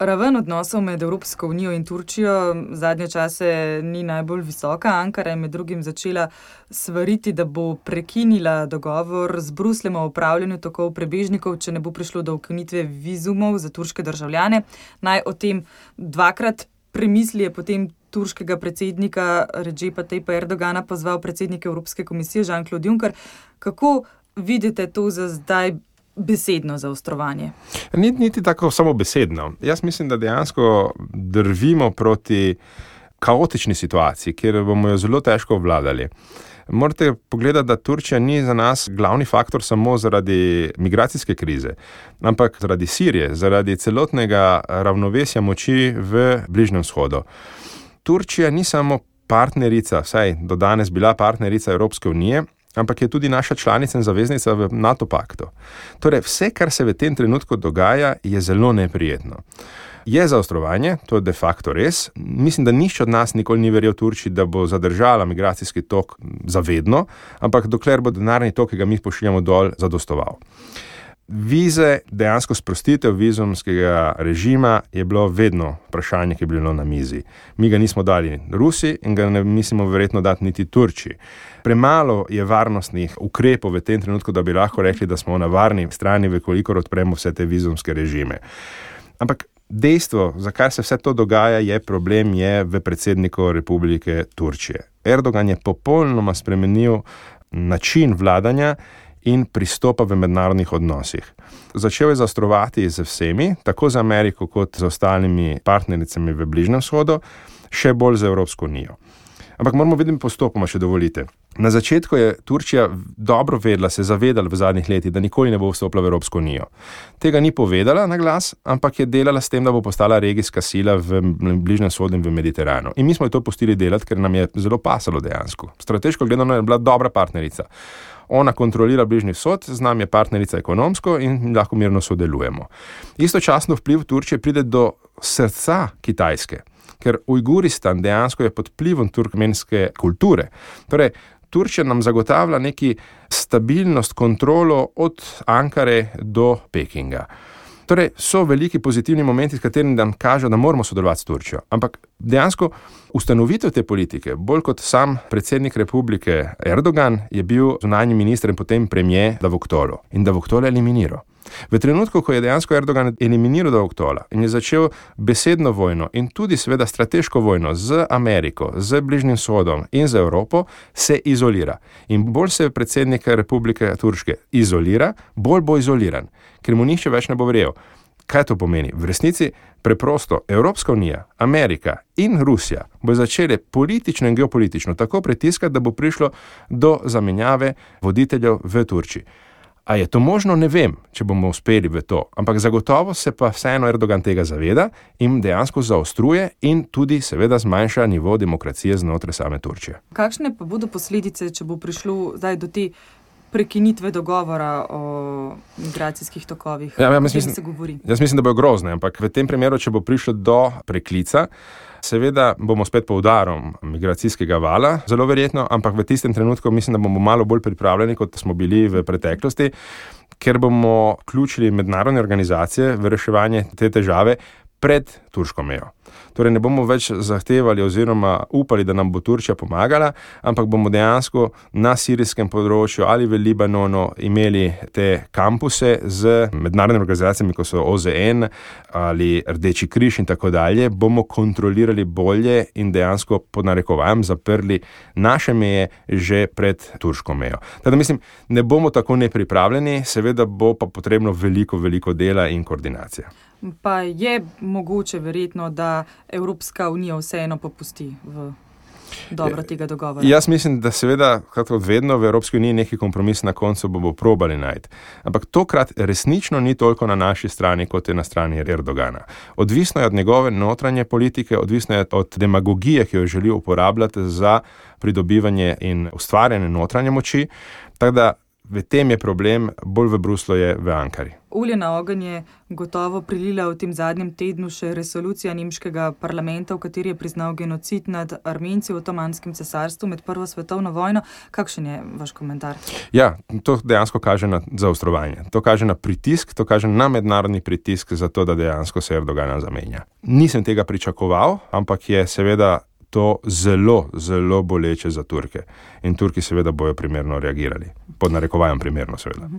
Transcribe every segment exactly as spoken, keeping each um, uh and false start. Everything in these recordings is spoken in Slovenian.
Raven odnosov med Evropsko unijo in Turčijo zadnje čase ni najbolj visoka. Ankara je med drugim začela svariti, da bo prekinila dogovor z Brusljem o upravljanju tokov prebežnikov, če ne bo prišlo do ukinitve vizumov za turške državljane. Naj o tem dvakrat premisli je potem turškega predsednika Redžepa Tayyipa Erdogana pozval predsednik Evropske komisije Jean-Claude Juncker. Kako vidite to za zdaj besedno zaostrovanje? Ni, niti tako samo besedno. Jaz mislim, da dejansko drvimo proti kaotični situaciji, kjer bomo jo zelo težko obvladali. Morate pogledati, da Turčija ni za nas glavni faktor samo zaradi migracijske krize, ampak zaradi Sirije, zaradi celotnega ravnovesja moči v Bližnjem vzhodu. Turčija ni samo partnerica, vsaj do danes bila partnerica Evropske unije, ampak je tudi naša članica in zaveznica v NATO paktu. Torej, vse, kar se v tem trenutku dogaja, je zelo neprijetno. Je zaostrovanje, to je de facto res. Mislim, da nišče od nas nikoli ni verjel Turčiji, da bo zadržala migracijski tok zavedno, ampak dokler bo denarni tok, ki ga mi pošiljamo dol, zadostoval. Vize, dejansko sprostitev vizumskega režima je bilo vedno vprašanje, ki je bilo na mizi. Mi ga nismo dali Rusiji in ga ne mislimo verjetno dati niti Turčiji. Premalo je varnostnih ukrepov v tem trenutku, da bi lahko rekli, da smo na varni strani, vekolikor odpremo vse te vizumske režime. Ampak dejstvo, zakaj se vse to dogaja, je problem je v predsedniku Republike Turčije. Erdogan je popolnoma spremenil način vladanja in pristopa v mednarodnih odnosih. Začel je zaostrovati z vsemi, tako z Ameriko kot z ostalimi partnericami v Bližnjem vzhodu, še bolj z Evropsko unijo. Ampak moramo videti postopoma, če dovolite. Na začetku je Turčija dobro vedela, se zavedala v zadnjih letih, da nikoli ne bo vstopila v Evropsko unijo. Tega ni povedala na glas, ampak je delala s tem, da bo postala regijska sila v Bližnjem vzhodu in v Mediteranu. In mi smo jo to pustili delati, ker nam je zelo pasalo dejansko. Strateško gledano je bila dobra partnerica. Ona kontrolira Bližnji vzhod, z nami je partnerica ekonomsko in lahko mirno sodelujemo. Istočasno vpliv Turčije pride do srca Kitajske, ker Ujguristan dejansko je pod vplivom turkmenske kulture. Torej, Turčija nam zagotavlja neki stabilnost, kontrolo od Ankare do Pekinga. Torej, so veliki pozitivni momenti, s katerimi nam kažejo, da moramo sodelovati s Turčijo. Ampak dejansko ustanovitev te politike, bolj kot sam predsednik republike Erdogan, je bil zunanji minister in potem premier Davutoglu. In Davutoglu je eliminiral. V trenutku, ko je dejansko Erdogan eliminiral Davutogla in je začel besedno vojno in tudi seveda strateško vojno z Ameriko, z Bližnjim vzhodom in z Evropo, se izolira. In bolj se predsednik Republike Turške izolira, bolj bo izoliran, ker mu nihče več ne bo verjel. Kaj to pomeni? V resnici preprosto Evropska unija, Amerika in Rusija bo začeli politično in geopolitično tako pritiskati, da bo prišlo do zamenjave voditeljev v Turčiji. A je to možno? Ne vem, če bomo uspeli v to, ampak zagotovo se pa vseeno Erdogan tega zaveda in dejansko zaostruje in tudi seveda zmanjša nivo demokracije znotraj same Turčije. Kakšne pa bodo posledice, če bo prišlo zdaj do te prekinitve dogovora o migracijskih tokovih? Ja, ja, mislim, se govori? Jaz mislim, da bojo grozne, ampak v tem primeru, če bo prišlo do preklica, seveda bomo spet pod udarom migracijskega vala, zelo verjetno, ampak v tistem trenutku mislim, da bomo malo bolj pripravljeni, kot smo bili v preteklosti, ker bomo vključili mednarodne organizacije v reševanje te težave pred turško mejo. Torej ne bomo več zahtevali oziroma upali, da nam bo Turčija pomagala, ampak bomo dejansko na sirijskem področju ali v Libanonu imeli te kampuse z mednarodnimi organizacijami, kot so O Z N ali Rdeči križ in tako dalje, bomo kontrolirali bolje in dejansko pod narekovajem zaprli naše meje že pred turško mejo. Teda mislim, ne bomo tako nepripravljeni, seveda bo pa potrebno veliko, veliko dela in koordinacija. Pa je mogoče verjetno, da Evropska unija vseeno popusti v dobro tega dogovora? Jaz mislim, da seveda, kot vedno, v Evropski uniji neki kompromis na koncu bomo probali najti. Ampak tokrat resnično ni toliko na naši strani, kot je na strani Erdogana. Odvisno je od njegove notranje politike, odvisno je od demagogije, ki jo želi uporabljati za pridobivanje in ustvarjanje notranje moči. Tako da v tem je problem, bolj v Bruslu je v Ankari. Olje na ogenj je gotovo prilila v tem zadnjem tednu še resolucija nemškega parlamenta, v kateri je priznal genocid nad Armenci v Otomanskem cesarstvu med prvo svetovno vojno. Kakšen je vaš komentar? Ja, to dejansko kaže na zaostrovanje. To kaže na pritisk, to kaže na mednarodni pritisk za to, da dejansko se Erdogan zamenja. Nisem tega pričakoval, ampak je seveda to zelo, zelo boleče za Turke. In Turki seveda bojo primerno reagirali. Pod narekovajem primerno, seveda.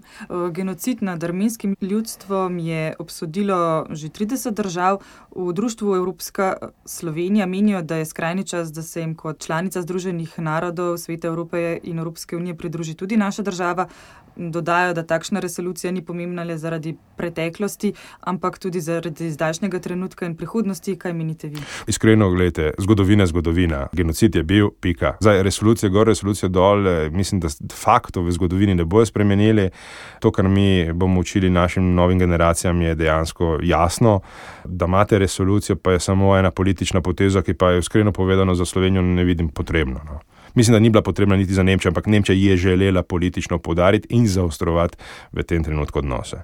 Genocid nad armenskim ljudstvom je obsodilo že trideset držav. V društvu Evropska Slovenija menijo, da je skrajni čas, da se jim kot članica Združenih narodov, Sveta Evrope in Evropske unije pridruži tudi naša država. Dodajo, da takšna resolucija ni pomembna le zaradi preteklosti, ampak tudi zaradi zdajšnjega trenutka in prihodnosti. Kaj menite vi? Iskreno, gledajte, zgodovina, zgodovina. Genocid je bil, pika. Zdaj, resolucija gor, resolucija dol, mislim, da faktov v zgodovini ne bojo spremenili. To, kar mi bomo učili našim novim generacijam, je dejansko jasno. Da imate resolucijo, pa je samo ena politična poteza, ki pa je iskreno povedano za Slovenijo ne vidim potrebno. No. Mislim, da ni bila potrebna niti za Nemčijo, ampak Nemčija je želela politično poudariti in zaostrovati v tem trenutku odnose.